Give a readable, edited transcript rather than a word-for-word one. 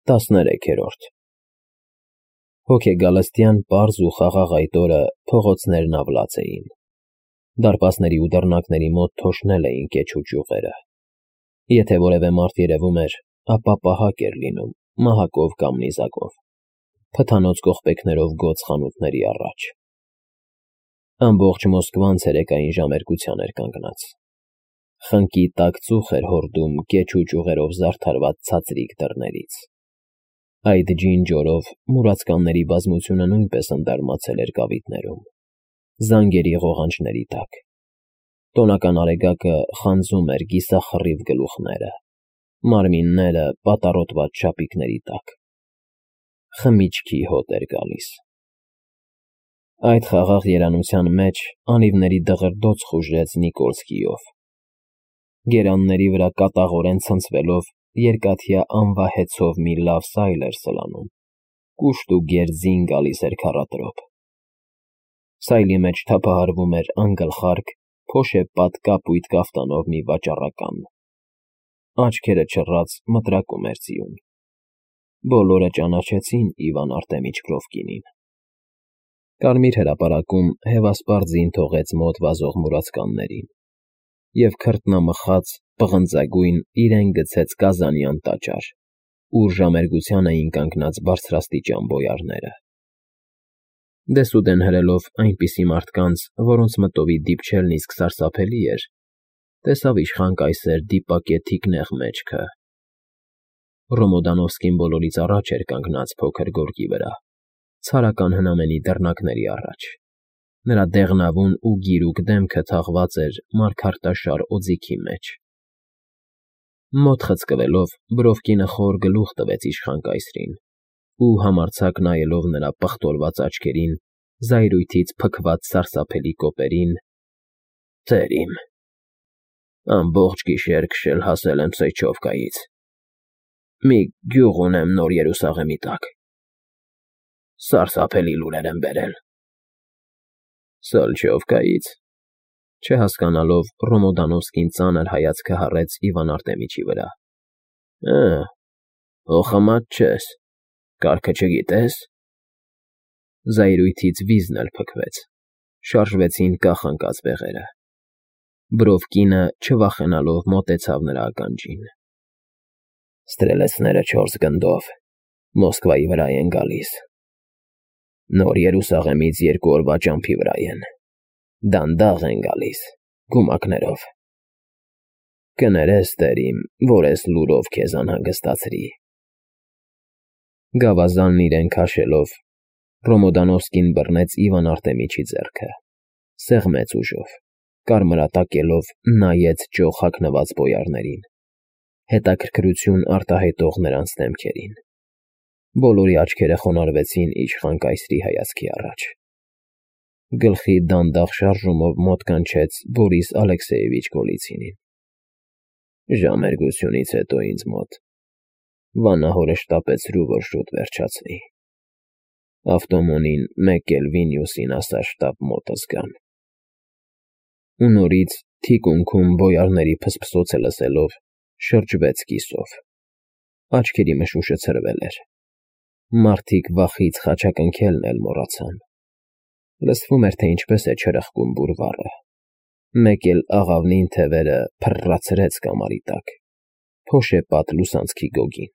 13-րդ Հոգեգալստյան պարզ ու խաղաղ այդ օրը փողոցներն ավլած էին, դարպասների ու դռնակների մոտ թոշնել էին կեչ ու ճյուղերը, եթե որևէ մարդ երևում էր, ապա պահակ էր լինում, մահակով կամ նիզակով, փթանոց կողպեքներով գոծ խանութների առաջ, ամբողջ Մոսկվան ցերեկային ժամերկության էր կանգնած, խնկի տաք ծուխ էր հորդում կեչ ու ճյուղերով զարդարված ցածրիկ դռներից, այդ ջինջորով մուրացկանների բազմությունը նույնպես ընդարմացել էր կավիտներում, զանգերի ղողանջների տակ, տոնական արեգակը խանձում էր կիսախռիվ գլուխները, մարմինները պատառոտված շապիկների տակ, խմիչքի հոտ էր գալիս, այդ խաղաղ երանության մեջ անիվների դղրդոց խուժեց Նիկոլսկիով, գերանների վրա կատաղորեն ցնցվելով երկաթյա անվահեցով մի լավ սայլ էր սլանում, կուշտ ու գերձին գալիս էր քառատրոփ, սայլի մեջ թափահարվում էր անգլխարկ, փոշեպատ կապույտ կաֆտանով մի վաճառական, աչքերը չռած մտրակում էր ձիուն, բոլորը ճանաչեցին Իվան Արտեմիչ-Կրովկինին, կարմիր հրապարակում հևասպառ ձին թողեց մոտ վազող մուրացկաններին, և քրտնամխած, պղնձագույն իրեն գցեց կազանյան տաճար, ուր ժամերգության էին կանգնած բարձրաստիճան բոյարները, դեսուդեն հրելով այնպիսի մարդկանց, որոնց մտովի դիպչելն իսկ սարսափելի էր, տեսավ իշխան կայսեր դիպակե թիկնեղ մեջքը, Ռոմոդանովսկին բոլորից առաջ էր կանգնած փոքր գորգի վրա, ցարական հնամենի դռնակների առաջ, նրա դեղնավուն ու գիրուկ դեմքը թաղված էր մարգարտաշար օձիքի մեջ, մոտ խցկվելով Բրովկինը խոր գլուխ տվեց իշխան կայսրին ու համարձակ նայելով նրա պղտորված աչքերին, զայրույթից փքված սարսափելի կոպերին. «Տեր իմ, ամբողջ գիշեր քշել հասել եմ Սեյչովկայից, մի գյուղ ունեմ Նոր Երուսաղեմի տակ, սարսափելի լուրեր եմ բերել»։ «Սալչովկայից», չհասկանալով Ռոմոդանովսկին ծանր հայացքը հառեց Իվան Արտեմիչի վրա։ Հոխամատ չես, կարգը չգիտես։ Զայրույթից վիզն էլ փքվեց, շարժվեցին կախ ընկած բեղերը։ Բրովկինը, չվախենալով, մոտեցավ նրա ականջին։ Ստրելեցները 4 գնդով Մոսկվայի վրա են գալիս։ Նոր Երուսաղեմից 2 օրվա ճամփի վրա են։ Դանդաղ են գալիս, գումակներով։ Կներես, տեր իմ, որ էս լուրով քեզ անհանգստացրի։ Գավազանն իրեն քաշելով, Ռոմոդանովսկին բռնեց Իվան Արտեմիչի ձեռքը, սեղմեց ուժով, կարմրատակելով նայեց ճոխ հագնված բոյարներին, հետաքրքրություն արտահայտող նրանց դեմքերին։ Բոլորի աչքերը խոնարհվեցին իշխան կայսրի հայացքի առաջ։ Գլխի դանդաղ շարժումով մոտ կանչեց Բորիս Ալեքսեևիչ Գոլիցինին։ Ժամերգությունից հետո ինձ մոտ վանահորը շտապեցրու, որ շուտ վերջացնի։ Ավտոմոնին մեկ էլ Վինյուսին ասա շտապ մոտս գան։ Ու նորից թիկունքում բոյարների փսփսոցը լսելով շրջվեց կիսով։ Աչքերի մշուշը ցրվել էր։ Մարդիկ վախից խաչակնքելն էլ մոռացան։ Լսվում էր, թե ինչպես է չրխկում բուրվառը։ Մեկ էլ աղավնին թևերը փռռացրեց կամարի տակ, փոշեպատ լուսանցքի գոգին։